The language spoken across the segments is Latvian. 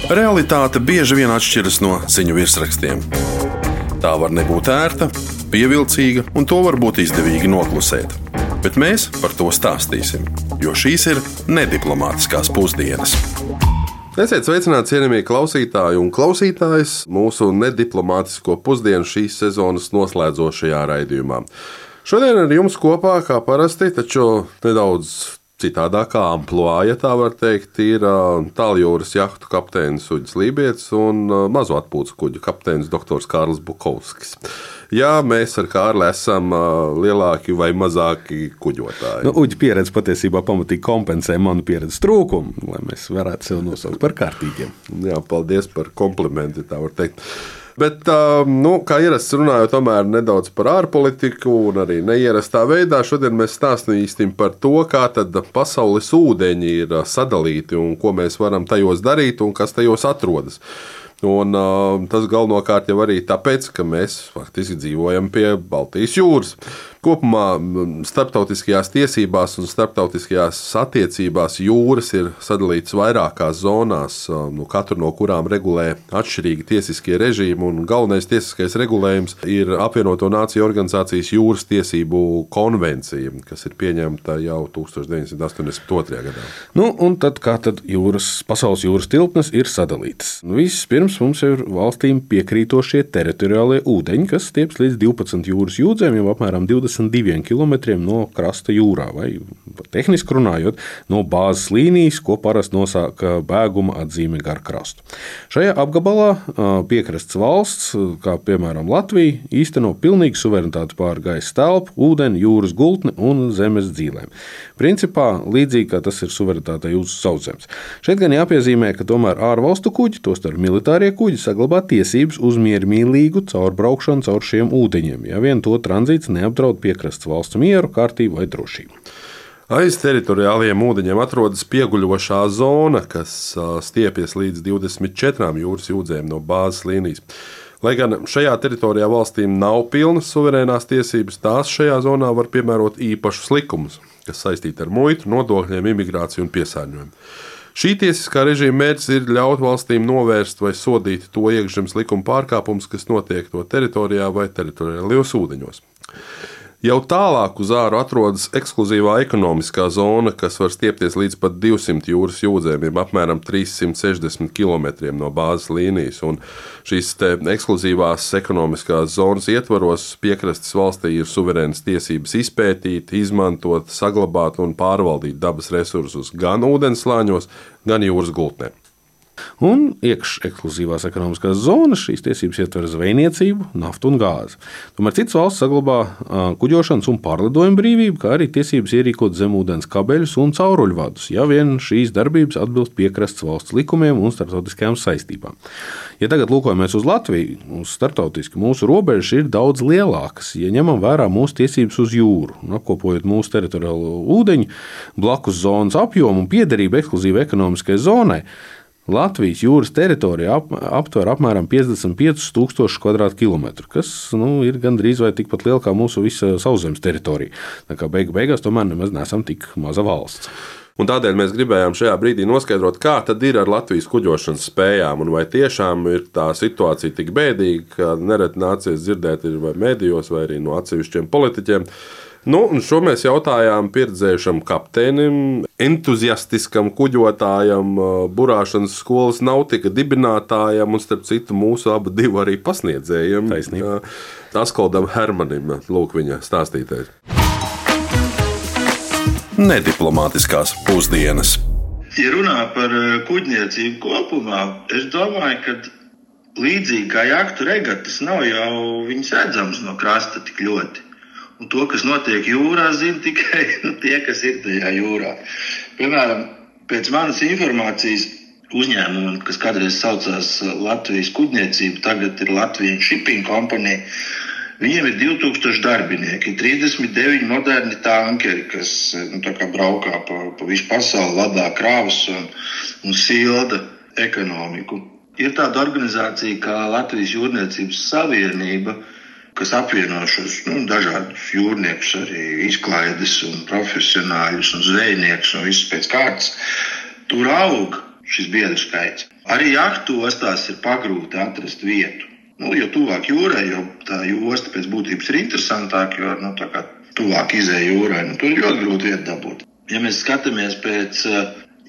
Realitāte bieži vien atšķiras no ziņu virsrakstiem. Tā var nebūt ērta, pievilcīga, un to var būt izdevīgi noklusēt. Bet mēs par to stāstīsim, jo šīs ir nediplomātiskās pusdienas. Esiet sveicināti, cienījamie klausītāji un klausītājas, mūsu nediplomātisko pusdienu šīs sezonas noslēdzošajā raidījumā. Šodien ar jums kopā, kā parasti, taču nedaudz citādākā ampluā, ja tā var teikt, ir tāljūras jahtu kapteinis Uģis Lībietis un mazo atpūtas kuģu kapteinis dr. Kārlis Bukovskis. Jā, mēs ar Kārli esam lielāki vai mazāki kuģotāji. Uģi pieredze patiesībā pamatīgi kompensē manu pieredzes trūkumu, lai mēs varētu sev nosaukt par kārtīgiem. Jā, paldies par komplimenti, tā var teikt. Bet, kā ierasts runājot tomēr nedaudz par ārpolitiku un arī neierastā veidā, šodien mēs stāstīsim par to, kā tad pasaules ūdeņi ir sadalīti un ko mēs varam tajos darīt un kas tajos atrodas. Un tas galvenokārt jau arī tāpēc, ka mēs faktiski dzīvojam pie Baltijas jūras. Kopumā starptautiskajās tiesībās un starptautiskajās attiecībās jūras ir sadalītas vairākās zonās, katru no kurām regulē atšķirīgi tiesiskie režīmi, un galvenais tiesiskais regulējums ir Apvienoto Nāciju organizācijas jūras tiesību konvencija, kas ir pieņemta jau 1982. gadā. Un tad kā tad pasaules jūras tilpnes ir sadalītas? Vispirms mums ir valstīm piekrītošie teritoriālie ūdeņi, kas stieps līdz 12 jūras jūdzēm, jau apmēram 22 kilometriem no krasta jūrā, vai tehniski runājot, no bāzes līnijas, ko parasti nosaka bēguma atzīme gar krastu. Šajā apgabalā piekrasts valsts, kā piemēram Latvija, īsteno pilnīgu suverenitāti pār gaisa telpu, ūdeni, jūras gultni un zemes dzīvēm. Principā līdzīgi kā tas ir suverenitātei uz sauszemes. Šeit gan jāpiezīmē, ka tomēr ārvalstu kuģi, tostarp militārie kuģi, saglabā tiesības uz miermīlīgu caurbraukšanu caur šiem ūdeņiem, ja vien to tranzīts neapdraud piekrasts valsts mieru, kārtību vai drošību. Aiz teritoriālajiem ūdeņiem atrodas pieguļošā zona, kas stiepjas līdz 24 jūras jūdzēm no bāzes līnijas. Lai gan šajā teritorijā valstīm nav pilnas suverēnās tiesības, tās šajā zonā var piemērot īpašus likumus, kas saistīti ar muitu, nodokļiem, imigrāciju un piesārņojumu. Šī tiesiskā režīma mērķis ir ļaut valstīm novērst vai sodīt to iekšzemes likuma pārkāpumus, kas notiek to teritorijā vai teritoriālajos ūdeņos. Jau tālāk uz āru atrodas ekskluzīvā ekonomiskā zona, kas var stiepties līdz pat 200 jūras jūdzēm, jeb apmēram 360 km no bāzes līnijas. Un šīs ekskluzīvās ekonomiskās zonas ietvaros piekrastes valstī ir suverēnas tiesības izpētīt, izmantot, saglabāt un pārvaldīt dabas resursus gan ūdenslāņos, gan jūras gultnē. Un ekskluzīvās ekonomiskās zonas šīs tiesības ietver zvejniecību, naftu un gāzi. Tomēr citas valsts saglabā kuģošanas un pārlidojumu brīvību, kā arī tiesības ierīkot zemūdens kabeļus un cauruļvadus, ja vien šīs darbības atbilst piekrastes valsts likumiem un starptautiskajām saistībām. Ja tagad lūkojamies uz Latviju, uz starptautiski mūsu robežas ir daudz lielākas, ja ņemam vērā mūsu tiesības uz jūru, un apkopojot mūsu teritoriālo ūdeņu, blakus zonas apjomu un piederību ekskluzīvai ekonomiskajai zonai, Latvijas jūras teritorija aptver apmēram 55,000 kvadrātkilometru, kas ir gandrīz vai tikpat liela kā mūsu visa sauszemes teritorija. Tā kā beigās tomēr nemaz neesam tik maza valsts. Un tādēļ mēs gribējām šajā brīdī noskaidrot, kā tad ir ar Latvijas kuģošanas spējām, un vai tiešām ir tā situācija tik bēdīga, ka nereti nācies dzirdēt ir vai medijos, vai arī no atsevišķiem politiķiem. Un šo mēs jautājām pieredzējušam kapteinim, entuziastiskam kuģotājam, burāšanas skolas nautika dibinātājam un, starp citu, mūsu abu divu arī pasniedzējiem. Taisnība. Askoldam Hermanim, lūk viņa stāstītais. Nediplomātiskās pusdienas. Ja runā par kuģniecību kopumā, es domāju, ka līdzīgi kā jahtu regatas nav jau viņas redzams no krasta tik ļoti. Un to, kas notiek jūrā, zina tikai tie, kas ir tajā jūrā. Piemēram, pēc manas informācijas uzņēmumi, kas kādreiz saucās Latvijas kuģniecība, tagad ir Latvijas Shipping Company, viņiem ir 2000 darbinieki, 39 moderni tankeri, kas tā kā braukā pa visu pasauli, vadā krāvas un silda ekonomiku. Ir tāda organizācija kā Latvijas jūrniecības savienība, kas apvieno šos dažādus jūrniekus, arī izklaides un profesionāļus un zvejniekus un visus pēc kārtas. Tur aug šis biedru skaits. Arī jahtu ostās ir pagrūti atrast vietu. Jo tuvāk jūrai, jo tā josta pēc būtības ir interesantāka, jo tā kā tuvāk izēja jūrai, tur ir ļoti grūti vietu dabūt. Ja mēs skatāmies pēc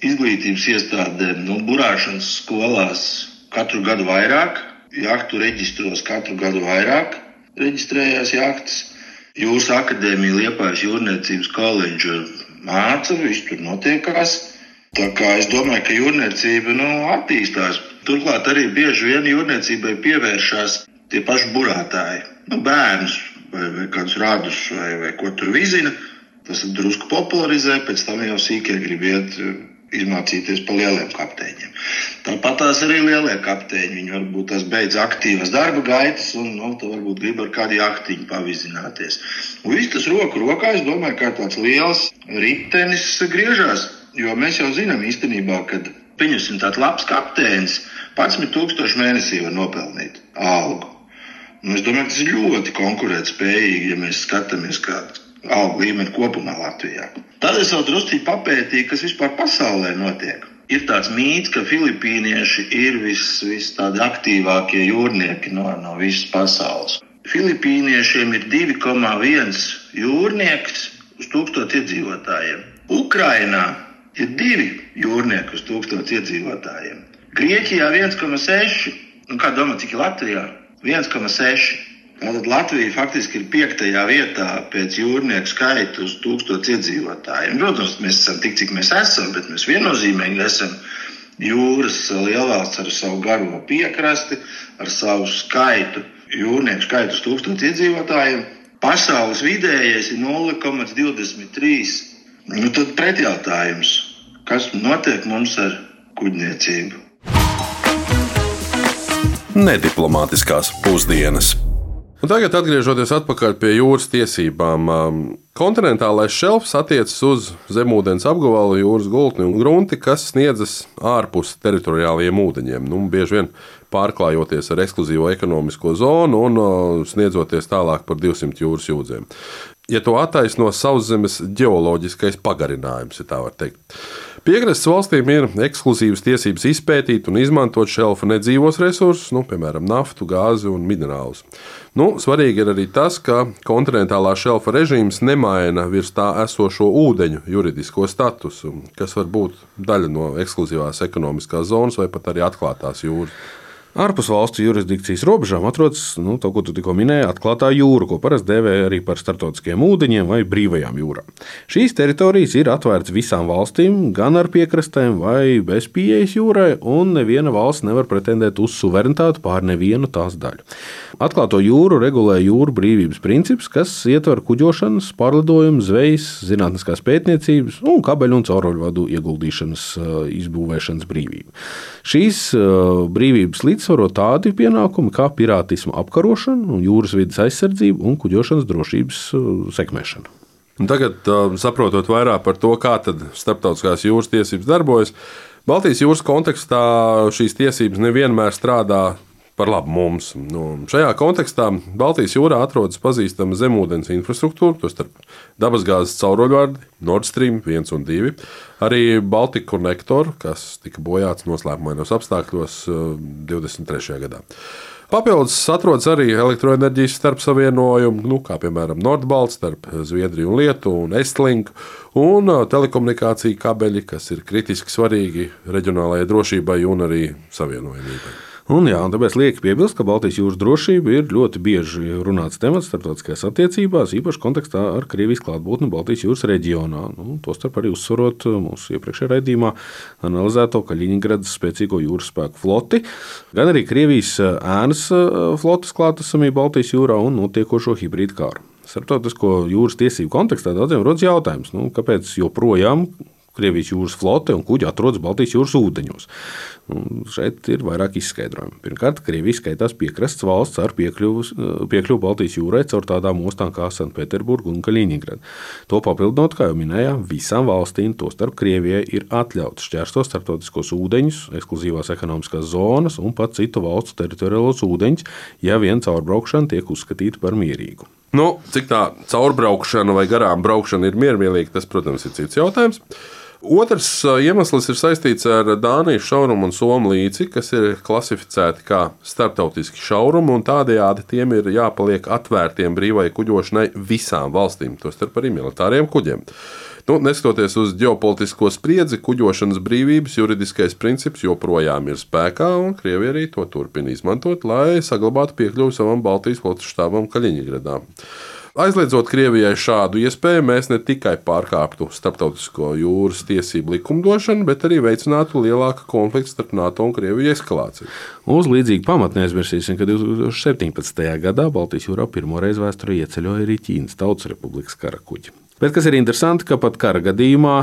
izglītības iestādēm, burāšanas skolās katru gadu vairāk, jahtu reģistros katru gadu vairāk reģistrējās jahtas. Jūras akadēmija, Liepājas jūrniecības koledža māca, viss tur notiekās. Tā kā es domāju, ka jūrniecība attīstās. Turklāt arī bieži vien jūrniecībai pievēršās tie paši burātāji. Bērnus vai kādus radus vai ko tur vizina. Tas drusku popularizē, pēc tam jau sīkie grib iet izmācīties pa lieliem kapteiņiem. Tāpat tās arī lielie kapteiņi. Viņi varbūt tās beidz aktīvas darba gaitas un varbūt grib ar kādu jahtiņu pavizināties. Un viss tas roku rokā, es domāju, kā tāds liels ritenis griežās. Jo mēs jau zinām īstenībā, ka pieņemsim tāds labs kapteinis 11,000 mēnesī var nopelnīt algu. Es domāju, ka tas ir ļoti konkurētspējīgi, ja mēs skatāmies kādu algu līmeni kopumā Latvijā. Tad es vēl drusciņi papētīju, kas vispār pasaulē notiek. Ir tāds mīts, ka filipīnieši ir vis tādi aktīvākie jūrnieki no visas pasaules. Filipīniešiem ir 2,1 jūrnieks uz 1000 iedzīvotājiem. Ukrainā ir 2 jūrnieki uz 1000 iedzīvotājiem. Grieķijā 1,6. Kā domā, cik ir Latvijā? 1,6. Tātad Latvija faktiski ir 5. vietā pēc jūrnieku skaita uz 1000 iedzīvotājiem. Protams, mēs esam tik, cik mēs esam, bet mēs viennozīmīgi esam jūras lielvalsts ar savu garo piekrasti, ar savu skaitu, jūrnieku skaitu uz 1000 iedzīvotājiem. Pasaules vidējais ir 0,23. Tad pretjautājums, kas notiek mums ar kuģniecību? Nediplomātiskās pusdienas. Un tagad, atgriežoties atpakaļ pie jūras tiesībām, kontinentālais šelfs attiecas uz zemūdens apgabalu, jūras gultni un grunti, kas sniedzas ārpus teritoriālajiem ūdeņiem. Bieži vien pārklājoties ar ekskluzīvo ekonomisko zonu un sniedzoties tālāk par 200 jūras jūdzēm. Ja to attaisno sauszemes ģeoloģiskais pagarinājums, ja tā var teikt. Piekrastes valstīm ir ekskluzīvas tiesības izpētīt un izmantot šelfa nedzīvos resursus, piemēram, naftu, gāzi un minerālus. Svarīgi ir arī tas, ka kontinentālā šelfa režīms nemaina virs tā esošo ūdeņu juridisko statusu, kas var būt daļa no ekskluzīvās ekonomiskās zonas vai pat arī atklātās jūras. Ārpus valstu jurisdikcijas robežām atrodas, to, ko tu tikko minēji, atklātā jūra, ko parasti dēvē arī par starptautiskiem ūdeņiem vai brīvajām jūrām. Šīs teritorijas ir atvērtas visām valstīm, gan ar piekrastēm vai bez pieejas jūrai, un neviena valsts nevar pretendēt uz suverenitāti pār nevienu tās daļu. Atklāto jūru regulē jūru brīvības princips, kas ietver kuģošanas, pārlidojumu, zvejas, zinātniskās pētniecības un kabeļu un cauruļvadu ieguldīšanas, izbūvēšanas brīvību. Šīs brīvības līdzsvaro tādi pienākumi kā pirātisma apkarošana, jūras vides aizsardzība un kuģošanas drošības sekmēšana. Tagad, saprotot vairāk par to, kā tad starptautiskās jūras tiesības darbojas, Baltijas jūras kontekstā šīs tiesības nevienmēr strādā par labu mums. Šajā kontekstā Baltijas jūrā atrodas pazīstama zemūdens infrastruktūra, tostarp dabasgāzes cauruļvadi Nord Stream 1 un 2, arī Baltic Connector, kas tika bojāts noslēpumainos apstākļos 23. gadā. Papildus atrodas arī elektroenerģijas starpsavienojumi, kā piemēram Nordbalts starp Zviedriju un Lietuvu un Estlink, un telekomunikāciju kabeļi, kas ir kritiski svarīgi reģionālajai drošībai un arī savienojamībai. Un tāpēc lieki piebilst, ka Baltijas jūras drošība ir ļoti bieži runāts temats starptautiskajās attiecībās, īpaši kontekstā ar Krievijas klātbūtni Baltijas jūras reģionā. Tostarp arī uzsverot mūsu iepriekšējā raidījumā analizēto Kaļiņgradas spēcīgo jūras spēku floti, gan arī Krievijas ēnas flotes klātesamību Baltijas jūrā un notiekošo hibrīdu kāru. Starptautisko jūras tiesību kontekstā daudziem rodas jautājums, kāpēc joprojām Krievijas jūras flote un kuģi atrodas Baltijas jūras ūdeņos. Šeit ir vairāk izskaidrojumi. Pirmkārt, Krievija skaitās piekrastes valsts ar piekļuvu Baltijas jūrai caur tādām ostām kā Sanktpēterburga un Kaļiņgrada. To papildinot, kā jau minējām, visām valstīm, tostarp Krievijai, ir atļauts šķērsot starptautiskos ūdeņus, ekskluzīvās ekonomiskās zonas un pat citu valstu teritoriālos ūdeņus, ja vien caurbraukšana tiek uzskatīta par mierīgu. Cik tā caurbraukšana vai garām braukšana ir miermīlīga, tas, protams, ir cits jautājums. Otrs iemesls ir saistīts ar Dānijas šaurumu un Somu līci, kas ir klasificēti kā starptautiski šaurumi, un tādējādi tiem ir jāpaliek atvērtiem brīvai kuģošanai visām valstīm, tostarp arī militāriem kuģiem. Neskatoties uz ģeopolitisko spriedzi, kuģošanas brīvības juridiskais princips joprojām ir spēkā, un Krievija arī to turpina izmantot, lai saglabātu piekļuvi savam Baltijas flotes štābam Kaļiņgradā. Aizliedzot Krievijai šādu iespēju, mēs ne tikai pārkāptu starptautisko jūras tiesību likumdošanu, bet arī veicinātu lielāku konfliktu starp NATO un Krieviju eskalāciju. Uz līdzīgu pamatu neaizmirsīsim, ka 2017. gadā Baltijas jūrā pirmo reizi vēsturē ieceļoja arī Ķīnas Tautas Republikas kara kuģi. Bet kas ir interesanti, ka pat kara gadījumā,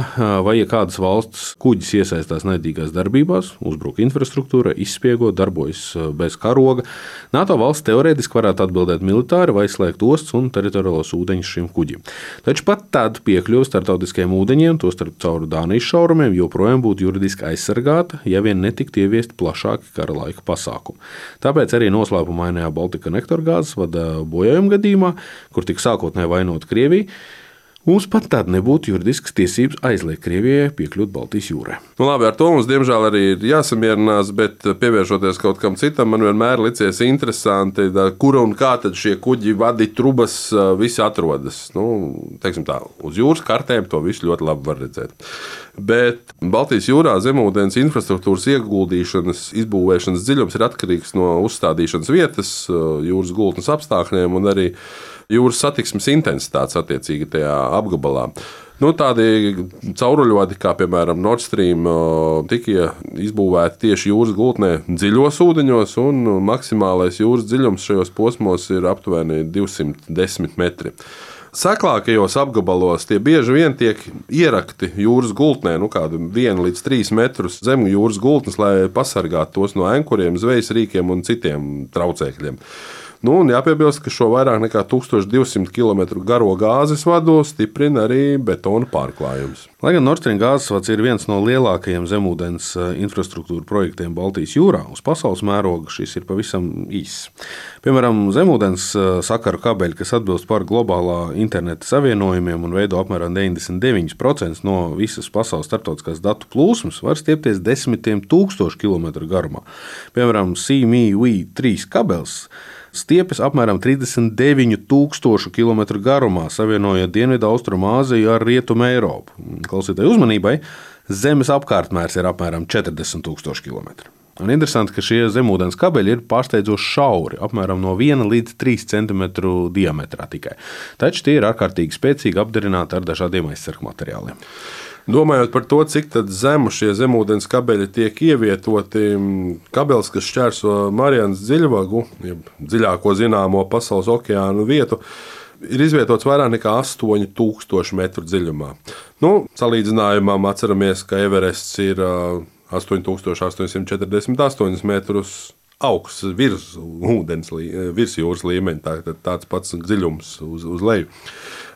vai ja kādas valsts kuģis iesaistās naidīgās darbībās, uzbruk infrastruktūrai, izspiego, darbojas bez karoga, NATO valsts teorētiski varētu atbildēt militāri vai slēgt ostas un teritoriālos ūdeņus šim kuģim. Taču pat tad piekļuve starptautiskiem ūdeņiem, tostarp caur Dānijas šaurumiem, joprojām būtu juridiski aizsargāta, ja vien netiktu ieviesti plašāki kara laika pasākumi. Tāpēc arī noslēpumainajā Baltica Nectar gāzes vada bojājuma gadījumā, kur tika sākotnēji vainota Krievija, mums pat tad nebūtu juridiskas tiesības aizliegt Krievijai piekļūt Baltijas jūrai. Labi, ar to mums diemžēl arī ir jāsamierinās, bet pievēršoties kaut kam citam, man vienmēr licies interesanti, kura un kā tad šie kuģi vadi trubas visi atrodas. Teiksim tā, uz jūras kartēm to visu ļoti labi var redzēt. Bet Baltijas jūrā zemūdens infrastruktūras ieguldīšanas, izbūvēšanas dziļums ir atkarīgs no uzstādīšanas vietas, jūras gultnes apstākļiem un arī jūras satiksmes intensitātes attiecīgi tajā apgabalā. Tādi cauruļvadi, kā piemēram Nord Stream, tika izbūvēti tieši jūras gultnē dziļos ūdeņos, un maksimālais jūras dziļums šajos posmos ir aptuveni 210 metri. Seklākajos apgabalos tie bieži vien tiek ierakti jūras gultnē, kādu 1 līdz 3 metrus zem jūras gultnes, lai pasargātu tos no ankuriem, zvejas rīkiem un citiem traucēkļiem. Jāpiebilst, ka šo vairāk nekā 1200 km garo gāzes vadu stiprina arī betona pārklājums. Lai gan Nord Stream gāzes vads ir viens no lielākajiem zemūdens infrastruktūra projektiem Baltijas jūrā, uz pasaules mēroga šis ir pavisam īss. Piemēram, zemūdens sakaru kabeļi, kas atbilst par globālā interneta savienojumiem un veido apmēram 99% no visas pasaules starptautiskās datu plūsmas, var stiepties desmitiem tūkstošu kilometru garumā. Piemēram, CME-V3 kabelis stiepjas apmēram 39,000 km garumā, savienojot Dienvidu Austrumāziju ar Rietumu Eiropu. Klausītāji uzmanībai, Zemes apkārtmērs ir apmēram 40,000 km. Un interesanti, ka šie zemūdens kabeļi ir pārsteidzoši šauri, apmēram no 1 līdz 3 cm diametrā tikai. Taču tie ir ārkārtīgi spēcīgi apdarināti ar dažādiem aizsargu materiāliem. Domājot par to, cik zemu šie zemūdens kabeļi tiek ievietoti, kabelis, kas šķērso Marianas dziļvagu, jeb dziļāko zināmo pasaules okeānu vietu, ir izvietots vairāk nekā 8000 metru dziļumā. Salīdzinājumam atceramies, ka Everests ir 8848 metrus augsts virs jūras līmeņa, tāds pats dziļums uz leju.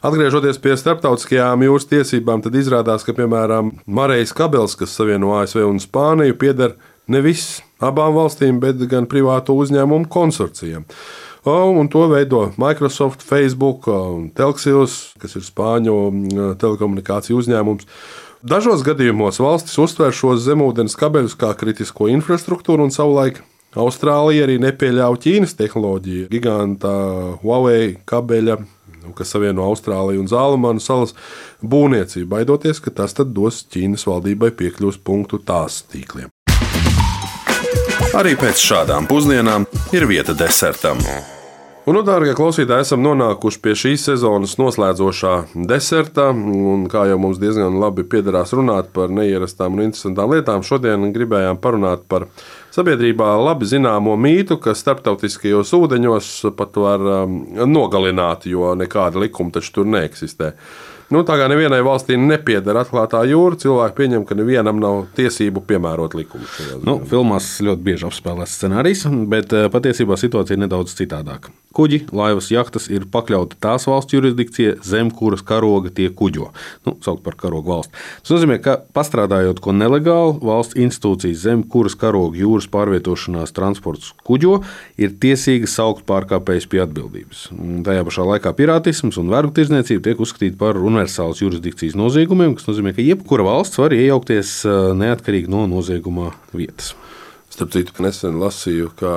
Atgriežoties pie starptautiskajām jūras tiesībām, tad izrādās, ka, piemēram, Marejas kabelis, kas savieno ASV un Spāniju, pieder nevis abām valstīm, bet gan privātu uzņēmumu konsorcijam. Un to veido Microsoft, Facebook, Telxius, kas ir Spāņu telekomunikāciju uzņēmums. Dažos gadījumos valstis uztver šos zemūdens kabeļus kā kritisko infrastruktūru, un savulaik Austrālija arī nepieļāva Ķīnas tehnoloģiju. Giganta Huawei kabeļa, kas savieno Austrāliju un Zālamanu salas būvniecību, baidoties, ka tas tad dos Ķīnas valdībai piekļuves punktu tās tīkliem. Arī pēc šādām pusdienām ir vieta desertam. Dārgie klausītāji, esam nonākuši pie šīs sezonas noslēdzošā deserta, un kā jau mums diezgan labi piederās runāt par neierastām un interesantām lietām, šodien gribējām parunāt par sabiedrībā labi zināmo mītu, ka starptautiskajos ūdeņos pat var nogalināt, jo nekāda likuma taču tur neeksistē. Tā kā nevienai valstī nepieder atklātā jūra, cilvēki pieņem, ka nevienam nav tiesību piemērot likumu. Filmās ļoti bieži apspēlēts scenārijs, bet patiesībā situācija ir nedaudz citādāka. Kuģi, laivas, jahtas ir pakļauti tās valsts jurisdikcijai, zem kuras karoga tie kuģo. Saukt par karogu valsti. Tas nozīmē, ka pastrādājot ko nelegāli, valsts institūcijas, zem kuras karoga jūras pārvietošanās transports kuģo, ir tiesīgas saukt pārkāpējus pie atbildības. Tajā pašā laikā pirātisms un vergu tirdzniecība tiek uzskatīti par universālas jurisdikcijas noziegumiem, kas nozīmē, ka jebkura valsts var iejaukties neatkarīgi no nozieguma vietas. Starp citu, nesen lasīju, ka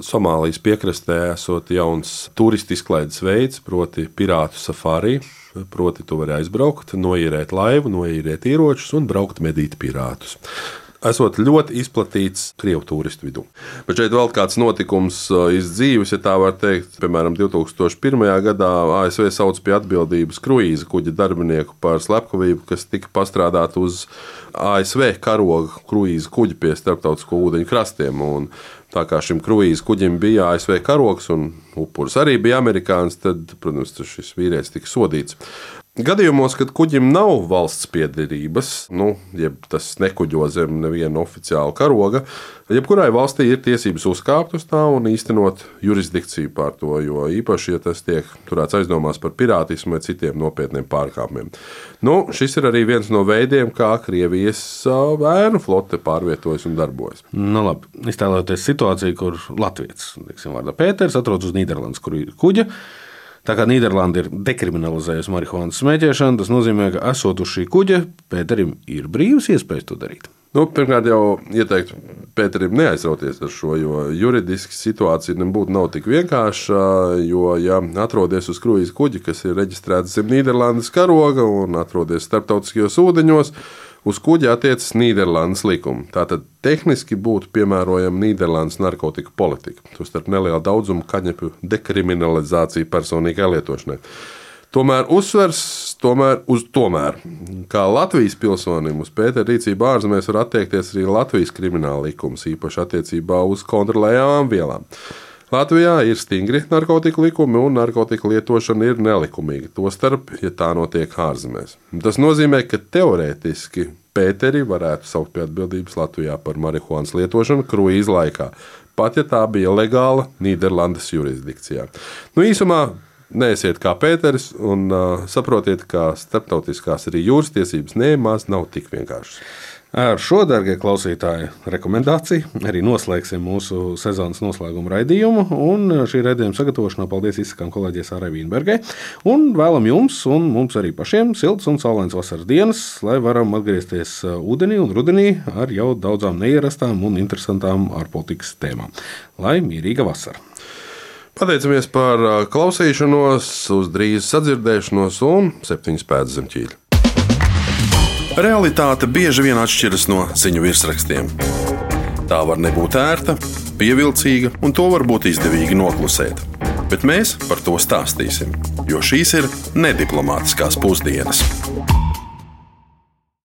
Somālijas piekrastē esot jauns turistu izklaides veids, proti pirātu safari. Proti, tu vari aizbraukt, noīrēt laivu, noīrēt ieročus un braukt medīt pirātus. Esot ļoti izplatīts Krievu turistu vidū. Bet šeit vēl kāds notikums iz dzīves, ja tā var teikt. Piemēram, 2001. gadā ASV sauc pie atbildības kruīza kuģa darbinieku par slepkavību, kas tika pastrādāta uz ASV karoga kruīza kuģi pie starptautisko ūdeņu krastiem. Un tā kā šim kruīza kuģim bija ASV karogs un upuris arī bija amerikānis, tad, protams, šis vīrietis tika sodīts. Gadījumos, kad kuģim nav valsts piederības, jeb tas nekuģo zem neviena oficiāla karoga, jebkurai valstī ir tiesības uzkāpt uz tā un īstenot jurisdikciju pār to, jo īpaši, ja tas tiek turēts aizdomās par pirātismu vai citiem nopietniem pārkāpumiem. Šis ir arī viens no veidiem, kā Krievijas ēnu flote pārvietojas un darbojas. Labi, iztēloties situāciju, kur latvietis, vārdā Pēters, atrodas uz Nīderlandes kuģa. Tā kā Nīderlanda ir dekriminalizējusi marihuānas smēķēšanu, tas nozīmē, ka esot uz šī kuģa, Pēterim ir brīvas iespējas to darīt. Pirmkārt jau ieteiktu Pēterim neaizrauties ar šo, jo juridiski situācija nebūtu nav tik vienkārša, jo, ja atrodies uz kruīza kuģa, kas ir reģistrēts zem Nīderlandes karoga un atrodies starptautiskajos ūdeņos, uz kuģa attiecas Nīderlandes likumi. Tātad tehniski būtu piemērojama Nīderlandes narkotiku politika, tostarp neliela daudzuma kaņepju dekriminalizācija personīgai lietošanai. Tomēr uzsvers uz tomēr. Kā Latvijas pilsonim uz Pētera rīcību ārzemēs var attiekties arī Latvijas krimināla likums, īpaši attiecībā uz kontrolējamām vielām. Latvijā ir stingri narkotiku likumi un narkotiku lietošana ir nelikumīga, tostarp, ja tā notiek ārzemēs. Tas nozīmē, ka teorētiski Pēteri varētu saukt pie atbildības Latvijā par marihuānas lietošanu kruīza laikā, pat ja tā bija legāla Nīderlandes jurisdikcijā. Īsumā neesiet kā Pēteris un saprotiet, ka starptautiskās arī jūras tiesības nemaz nav tik vienkāršas. Ar šo, darbie klausītāji, rekomendāciju arī noslēgsim mūsu sezonas noslēguma raidījumu. Un šī raidījuma sagatavošanā paldies izsakām kolēģei Sārai Vīnbergai. Un vēlam jums un mums arī pašiem silts un saulains vasaras dienas, lai varam atgriezties ūdenī un rudenī ar jau daudzām neierastām un interesantām ārpolitikas tēmām. Lai mierīga vasara! Pateicamies par klausīšanos, uz drīz sadzirdēšanos un 7 pēdas zem ķīļa. Realitāte bieži vien atšķiras no ziņu virsrakstiem. Tā var nebūt ērta, pievilcīga, un to var būt izdevīgi noklusēt. Bet mēs par to stāstīsim, jo šīs ir nediplomātiskās pusdienas.